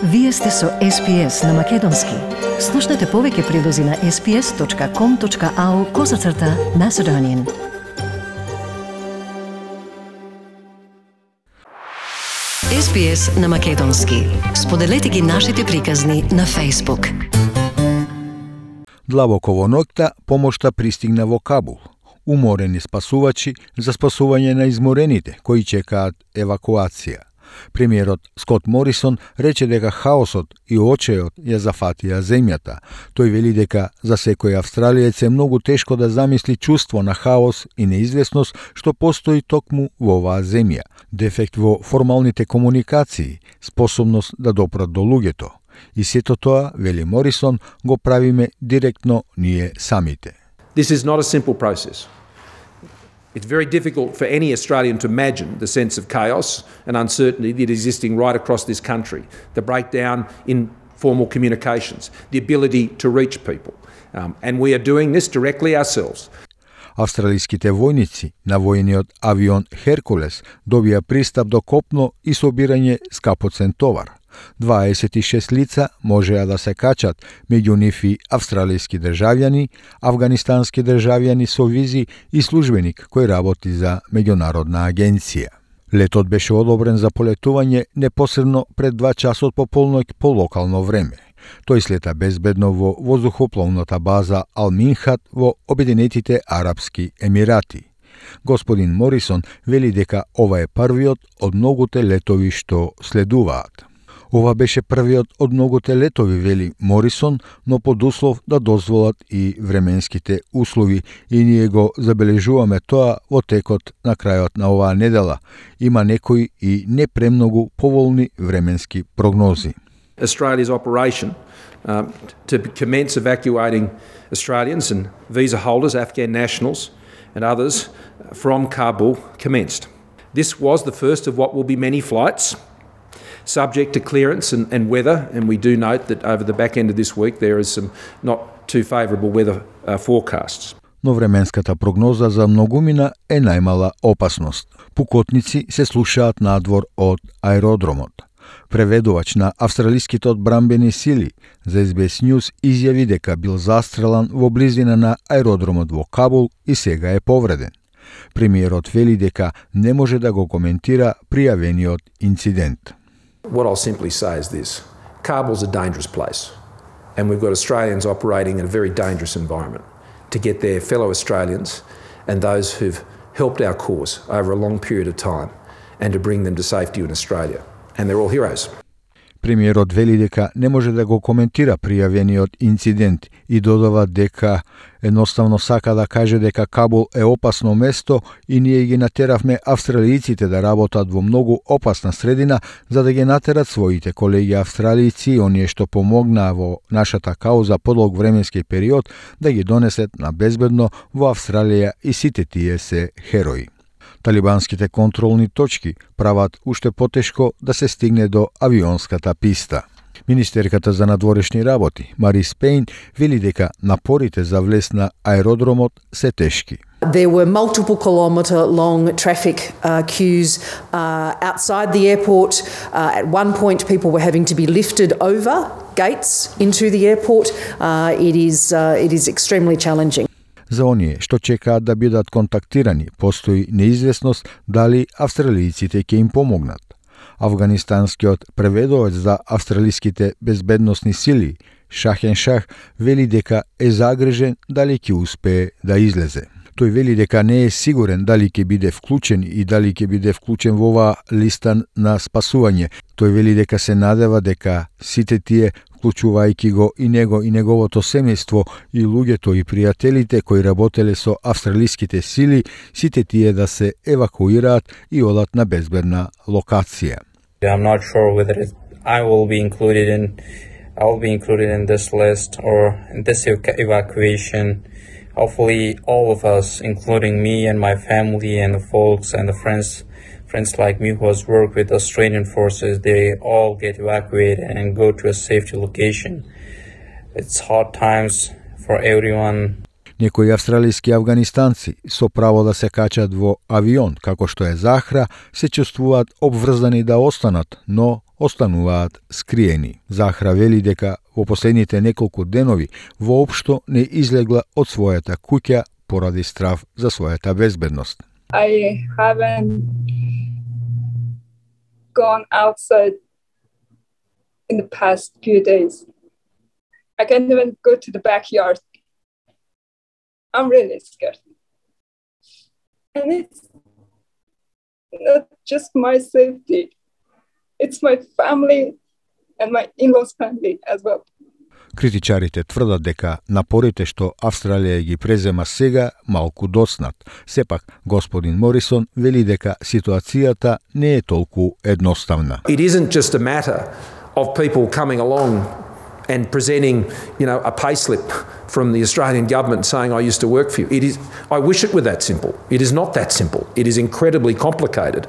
Вие сте со SPS на Македонски. Слушнете повеќе прилози на sps.com.au/Macedonian. SPS на Македонски. Споделете ги нашите приказни на Facebook. Длабоко во ноќта помошта пристигна во Кабул. Уморени спасувачи за спасување на изморените кои чекаат евакуација. Премиерот Скот Морисон рече дека хаосот и очејот ја зафатија земјата. Тој вели дека за секој австралиец е многу тешко да замисли чувство на хаос и неизвестност што постои токму во оваа земја. Дефект во формалните комуникации, способност да допрат до луѓето. И сето тоа, вели Морисон, го правиме директно ние самите. This is not a simple process. It's very difficult for any Australian to imagine the sense of chaos and uncertainty that is existing right across this country, the breakdown in formal communications, the ability to reach people. And we are doing this directly ourselves. Австралиските војници на војниот авион Херкулес добија пристап до копно и собирање скапоцен товар. 26 лица можеа да се качат, меѓу нив и австралиски државјани, афганистански државјани со визи и службеник кој работи за меѓународна агенција. Летот беше одобрен за полетување непосредно пред 2 часот по полноќ по локално време. Тој слета безбедно во воздухопловната база Ал-Минхат во Обединетите Арапски Емирати. Господин Морисон вели дека ова е првиот од многуте летови што следуваат. Ова беше првиот од многуте летови, вели Морисон, но под услов да дозволат и временските услови, и ние го забележуваме тоа во текот на крајот на оваа недела. Има некои и не премногу поволни временски прогнози. Australia's operation to commence evacuating Australians and visa holders, Afghan nationals and others from Kabul commenced. This was the first of what will be many flights, subject to clearance and weather, and we do note that over the back end of this week there is some not too favourable weather forecasts. Но временската прогноза за многумина е најмала опасност. Пукотници се слушаат надвор од аеродромот. Преведувач на австралиските одбранбени сили за SBS News изјави дека бил застрелан во близина на аеродромот во Кабул и сега е повреден. Премиерот вели дека не може да го коментира пријавениот инцидент. What I'll simply say is this: Kabul's a dangerous place, and we've got Australians operating in a very dangerous environment to get their fellow Australians and those who've helped our cause over a long period of time and to bring them to safety in Australia. And they're all heroes. Премиерот вели дека не може да го коментира пријавениот инцидент и додава дека едноставно сака да каже дека Кабул е опасно место и ние ги натеравме австралијците да работат во многу опасна средина за да ги натерат своите колеги австралијци и оние што помогнаа во нашата кауза подолг временски период да ги донесет на безбедно во Австралија и сите тие се херои. Талибанските контролни точки прават уште потешко да се стигне до авионската писта. Министерката за надворешни работи, Марис Пейн, вели дека напорите за влез на аеродромот се тешки. There were multiple kilometre long traffic queues outside the airport. At one point, people were having to be lifted over gates into the airport. It is extremely challenging. За оние што чекаат да бидат контактирани, постои неизвестност дали австралијците ќе им помогнат. Афганистанскиот преведувач за австралиските безбедносни сили, Шахен Шах, вели дека е загрижен дали ќе успее да излезе. Тој вели дека не е сигурен дали ќе биде вклучен и дали ќе биде вклучен во оваа листа на спасување. Тој вели дека се надева дека сите тие, вклучувајќи го и него и неговото семејство и луѓето и пријателите кои работеле со австралиските сили, сите тие да се евакуираат и одат на безбедна локација. I'm not sure whether I will be included in this list or in this evacuation. Hopefully all of us, including me and my family and the folks and the friends like me who has worked with Australian forces, they all get evacuated and go to a safety location. It's hard times for everyone. Некои австралијски афганистанци со право да се качат во авион, како што е Захра, се чувствуваат обврзани да останат, но остануваат скриени. Захра вели дека во последните неколку денови воопшто не излегла од својата куќа поради страв за својата безбедност. I haven't gone outside in the past few days. I can't even go to the backyard. I'm really scared. And it's not just my safety. It's my family and my in-laws family as well. Критичарите тврдат дека напорите што Австралија ги презема сега малку доцнат. Сепак, господин Морисон вели дека ситуацијата не е толку едноставна. It isn't just a matter of people coming along and presenting, a payslip from the Australian government saying, I used to work for you. I wish it were that simple. It is not that simple. It is incredibly complicated.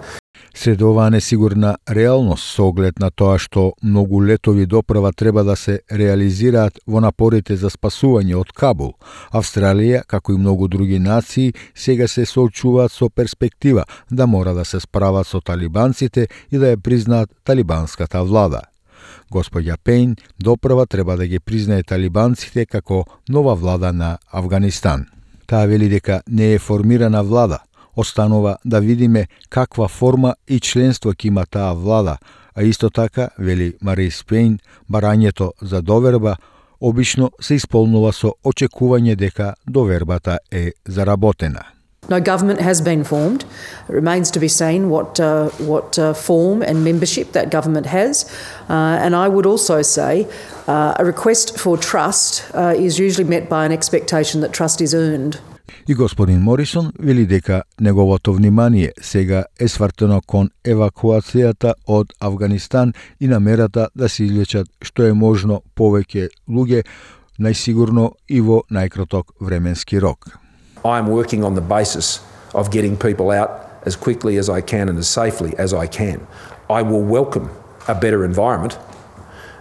Сред оваа несигурна реалност со оглед на тоа што многу летови доправа треба да се реализираат во напорите за спасување од Кабул, Австралија, како и многу други нации, сега се соочуваат со перспектива да мора да се справат со талибанците и да ја признаат талибанската влада. Господја Пейн доправа треба да ги признае талибанците како нова влада на Авганистан. Таа вели дека не е формирана влада. Останува да видиме каква форма и членство ќе има таа влада, а исто така, вели Марис Пейн, барањето за доверба обично се исполнува со очекување дека довербата е заработена. No government has been formed. It remains to be seen what form and membership that government has. And I would also say a request for trust is usually met by an expectation that trust is earned. И господин Морисон вели дека неговото внимание сега е свртено кон евакуацијата од Авганистан и намерата да се излечат што е можно повеќе луѓе, најсигурно и во најкраток временски рок. I am working on the basis of getting people out as quickly as I can and as safely as I can. I will welcome a better environment,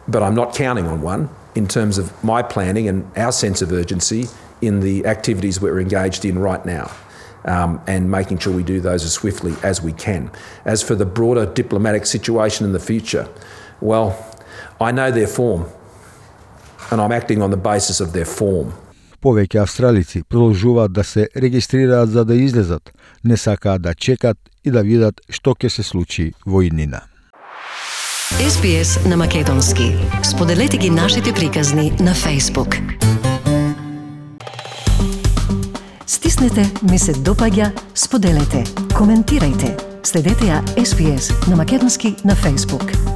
but I'm not counting on one in terms of my planning and our sense of urgency in the activities we're engaged in right now, and making sure we do those as swiftly as we can. As for the broader diplomatic situation in the future, well, I know their form, and I'm acting on the basis of their form. Повеќе австралици продолжуваат да се регистрираат за да излезат, не сакаат да чекат и да видат што ќе се случи во иднина. SBS на македонски. Споделете ги нашите приказни на Facebook. Стиснете ми се допаѓа, споделете, коментирајте. Следете ја SBS на македонски на Facebook.